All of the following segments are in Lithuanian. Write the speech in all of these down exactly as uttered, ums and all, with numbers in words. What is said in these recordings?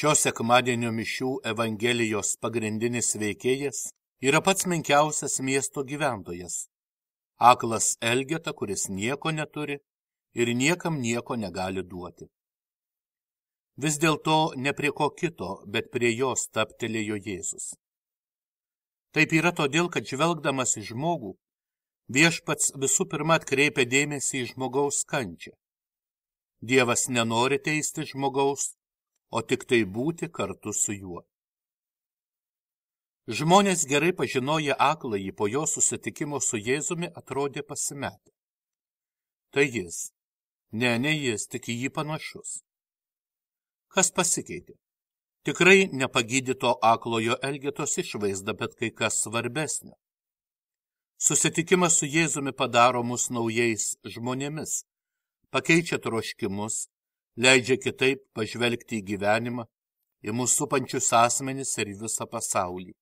Šio sekmadienio mišių Evangelijos pagrindinis veikėjas yra pats menkiausias miesto gyventojas, aklas Elgeta, kuris nieko neturi ir niekam nieko negali duoti. Vis dėlto ne prie ko kito, bet prie jo stabtelėjo Jėzus. Taip yra todėl, kad žvelgdamas į žmogų, viešpats visų pirma atkreipia dėmesį į žmogaus kančią. Dievas nenori teisti žmogaus, o tik tai būti kartu su juo. Žmonės gerai pažinoję akląjį po jo susitikimo su Jėzumi atrodė pasimetę. Tai jis. Ne, ne jis, tik į jį panašus. Kas pasikeitė? Tikrai nepagydyto aklojo Elgetos išvaizda, bet kai kas svarbesnio. Susitikimas su Jėzumi padaro mus naujais žmonėmis, pakeičia troškimus, leidžia kitaip pažvelgti į gyvenimą, į mūsų supančius asmenis ir visą pasaulį.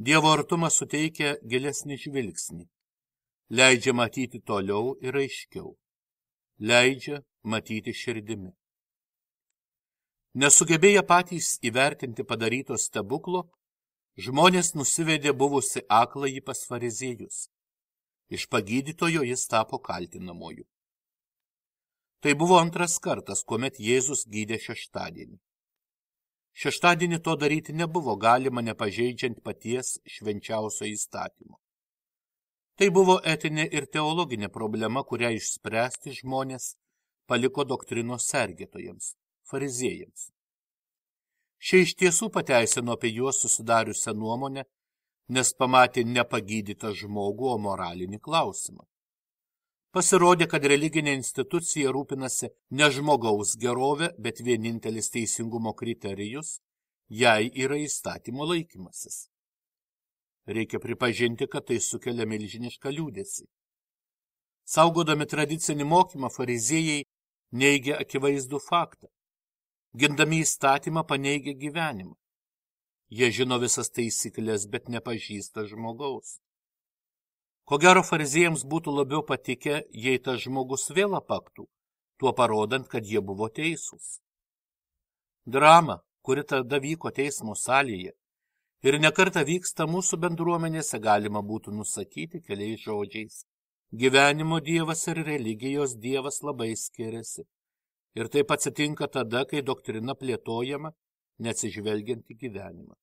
Dievo artumas suteikia gilesnį žvilgsnį, leidžia matyti toliau ir aiškiau, leidžia matyti širdimi. Nesugebėję patys įvertinti padaryto stebuklo, žmonės nusivedė buvusi akląjį pas fariziejus. Iš pagydytojo jis tapo kaltinamuoju. Tai buvo antras kartas, kuomet Jėzus gydė šeštadienį. Šeštadienį to daryti nebuvo galima, nepažeidžiant paties švenčiausio įstatymo. Tai buvo etinė ir teologinė problema, kurią išspręsti žmonės paliko doktrinos sergėtojams, fariziejams. Šie iš tiesų pateisino apie juos susidariusią nuomonę, nes pamatė nepagydytą žmogų, o moralinį klausimą. Pasirodė, kad religinė institucija rūpinasi ne žmogaus gerovė, bet vienintelis teisingumo kriterijus, jai yra įstatymo laikymasis. Reikia pripažinti, kad tai sukelia milžinišką liūdesį. Saugodami tradicinį mokymą, fariziejai neigia akivaizdų faktą. Gindami įstatymą paneigia gyvenimą. Jie žino visas taisyklės, bet nepažįsta žmogaus. Ko gero fariziejams būtų labiau patikę, jei tas žmogus vėl apaktų, tuo parodant, kad jie buvo teisūs. Drama, kuri tada vyko teismo salėje ir nekartą vyksta mūsų bendruomenėse, galima būtų nusakyti keliais žodžiais. Gyvenimo dievas ir religijos dievas labai skiriasi. Ir taip atsitinka tada, kai doktrina plėtojama, neatsižvelgiant į gyvenimą.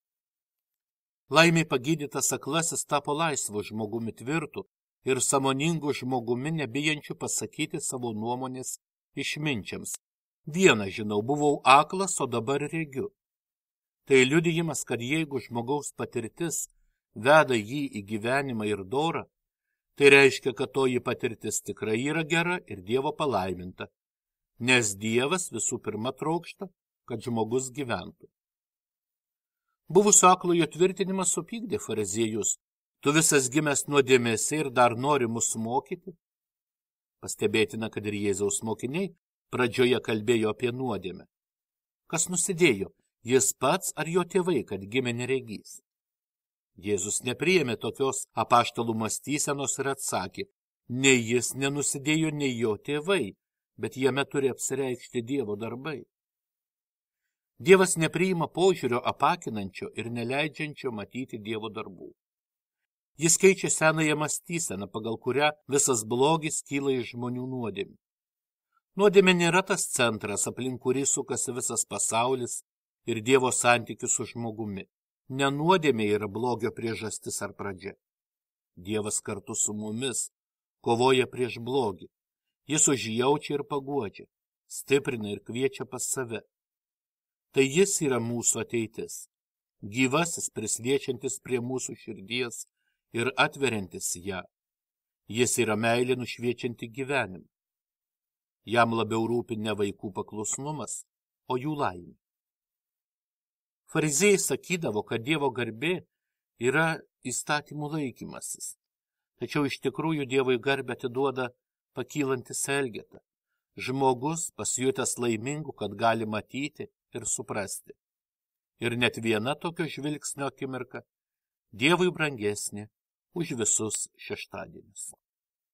Laimiai pagydytas aklasis tapo laisvu žmogumi tvirtu ir sąmoningu žmogumi, nebijančiu pasakyti savo nuomonės išminčiams. Vieną žinau, buvau aklas, o dabar regiu. Tai liudijimas, kad jeigu žmogaus patirtis veda jį į gyvenimą ir dorą, tai reiškia, kad toji patirtis tikrai yra gera ir Dievo palaiminta, nes Dievas visų pirma trokšta, kad žmogus gyventų. Buvusio aklojo tvirtinimas supykdė fariziejus. Tu visas gimęs nuodėmėse ir dar nori mus mokyti? Pastebėtina, kad ir Jėzaus mokiniai pradžioje kalbėjo apie nuodėmę. Kas nusidėjo, jis pats ar jo tėvai, kad gimė neregys? Jėzus nepriėmė tokios apaštalų mąstysenos ir atsakė, nei jis nenusidėjo, nei jo tėvai, bet jame turi apsireikšti Dievo darbai. Dievas nepriima požiūrio apakinančio ir neleidžiančio matyti Dievo darbų. Jis keičia senąją mąstyseną, pagal kurią visas blogis kyla iš žmonių nuodėmių. Nuodėmė nėra tas centras, aplink kurį sukasi visas pasaulis ir Dievo santykis su žmogumi. Ne nuodėmė yra blogio priežastis ar pradžia. Dievas kartu su mumis kovoja prieš blogį. Jis užjaučia ir paguodžia, stiprina ir kviečia pas save. Tai jis yra mūsų ateitis, gyvasis prisliečiantis prie mūsų širdies ir atveriantis ją. Jis yra meilė nušviečianti gyvenimą. Jam labiau rūpi ne vaikų paklusnumas, o jų laimė. Fariziejai sakydavo, kad Dievo garbė yra įstatymų laikymasis, tačiau iš tikrųjų Dievui garbę atiduoda pakylantis Elgeta, žmogus pasijutęs laimingu, kad gali matyti ir suprasti. Ir net viena tokio žvilgsnio akimirka Dievui brangesnė už visus šeštadienius.